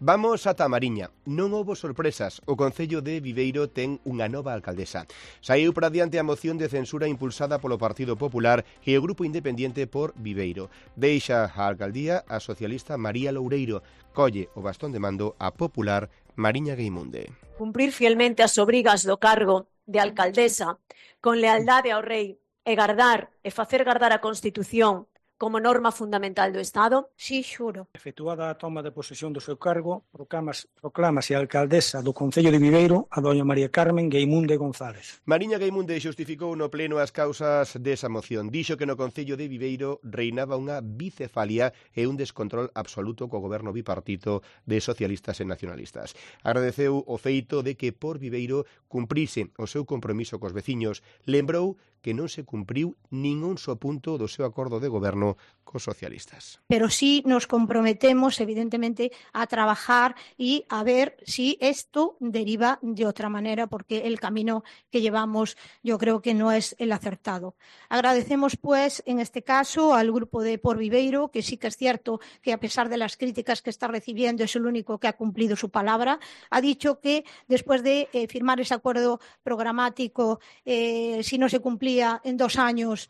Vamos ata Mariña. Non houbo sorpresas. O Concello de Viveiro ten unha nova alcaldesa. Saíu para diante a moción de censura impulsada polo Partido Popular e o Grupo Independiente por Viveiro. Deixa a alcaldía a socialista María Loureiro. Colle o bastón de mando a popular Mariña Geimunde. Cumprir fielmente as obrigas do cargo de alcaldesa con lealdade ao rei e gardar e facer gardar a Constitución como norma fundamental do Estado? Si, xuro. Efectuada a toma de posesión do seu cargo, proclámase a alcaldesa do Concello de Viveiro a doña María Carmen Geimunde González. Mariña Geimunde xustificou no pleno as causas desa moción. Dixo que no Concello de Viveiro reinaba unha bicefalia e un descontrol absoluto co goberno bipartito de socialistas e nacionalistas. Agradeceu o feito de que por Viveiro cumprise o seu compromiso cos veciños. Lembrou que non se cumpriu nin un só punto do seu acordo de goberno cos socialistas. Pero sí nos comprometemos, evidentemente, a trabajar y a ver si esto deriva de otra manera, porque el camino que llevamos yo creo que no es el acertado. Agradecemos, pues, en este caso, al grupo de Por Viveiro, que sí que es cierto que a pesar de las críticas que está recibiendo es el único que ha cumplido su palabra. Ha dicho que después de firmar ese acuerdo programático, si no se cumplía en 2 años,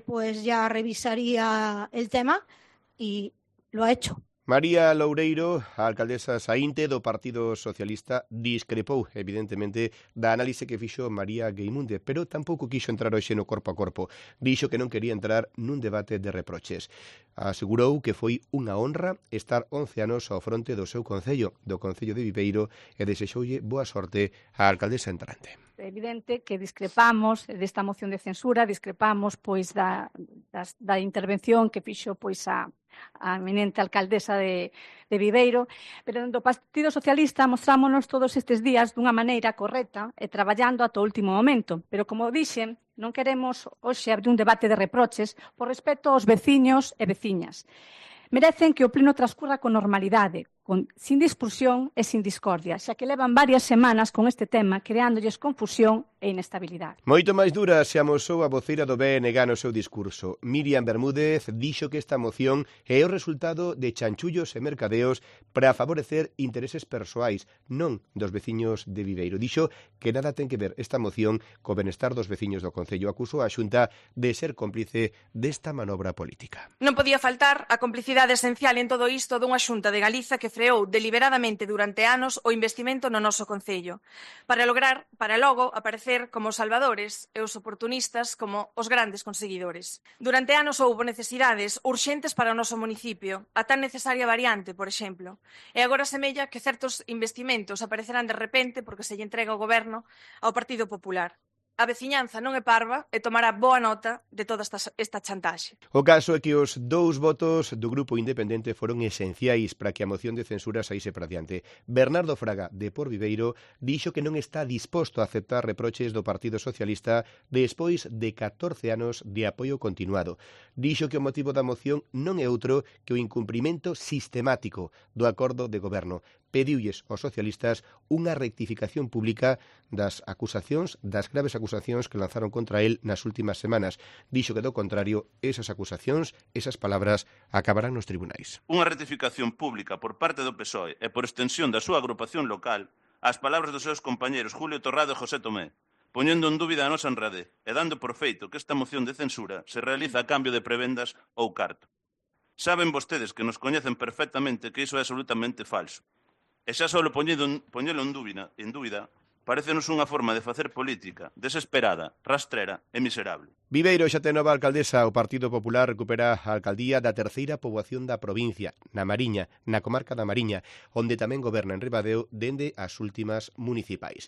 pues ya revisaría el tema y lo ha hecho. María Loureiro, a alcaldesa saínte do Partido Socialista, discrepou, evidentemente, da análise que fixo María Geimunde, pero tampouco quixo entrar hoxe no corpo a corpo. Dixo que non quería entrar nun debate de reproches. Asegurou que foi unha honra estar 11 anos ao fronte do seu concello, do Concello de Viveiro, e desexoulle boa sorte á alcaldesa entrante. É evidente que discrepamos desta moción de censura, discrepamos pois da intervención que fixo pois a eminente alcaldesa de Viveiro, pero do Partido Socialista mostrámonos todos estes días dunha maneira correcta e traballando ata o último momento, pero como dixen, non queremos hoxe abrir un debate de reproches por respecto aos veciños e veciñas. Merecen que o pleno transcurra con normalidade, sin discusión e sin discordia, xa que levan varias semanas con este tema creándolles confusión e inestabilidade. Moito máis dura se amosou a voceira do BNG no seu discurso. Miriam Bermúdez dixo que esta moción é o resultado de chanchullos e mercadeos para favorecer intereses persoais, non dos veciños de Viveiro. Dixo que nada ten que ver esta moción co benestar dos veciños do Concello. Acusou a Xunta de ser cómplice desta manobra política. Non podía faltar a complicidade esencial en todo isto dunha Xunta de Galiza que freou deliberadamente durante anos o investimento no noso Concello, para logo aparecer como os salvadores e os oportunistas como os grandes conseguidores. Durante anos houbo necesidades urxentes para o noso municipio, a tan necesaria variante, por exemplo, e agora semella que certos investimentos aparecerán de repente porque se lle entrega o goberno ao Partido Popular. A veciñanza non é parva e tomará boa nota de toda esta chantaxe. O caso é que os 2 votos do Grupo Independente foron esenciais para que a moción de censura saíse para diante. Bernardo Fraga, de Por Viveiro, dixo que non está disposto a aceptar reproches do Partido Socialista despois de 14 anos de apoio continuado. Dixo que o motivo da moción non é outro que o incumprimento sistemático do acordo de goberno. Pediulles aos socialistas unha rectificación pública das graves acusacións que lanzaron contra el nas últimas semanas. Dixo que, do contrario, esas acusacións, esas palabras, acabarán nos tribunais. Unha rectificación pública por parte do PSOE e por extensión da súa agrupación local ás palabras dos seus compañeros Julio Torrado e José Tomé, poñendo en dúbida a nosa honradez e dando por feito que esta moción de censura se realiza a cambio de prebendas ou carto. Saben vostedes que nos coñecen perfectamente que iso é absolutamente falso. E xa só poñelo en dúbida, parécenos unha forma de facer política desesperada, rastrera e miserable. Viveiro xa ten nova alcaldesa. O Partido Popular recupera a alcaldía da terceira poboación da provincia, na Mariña, na comarca da Mariña, onde tamén goberna en Ribadeo dende as últimas municipais.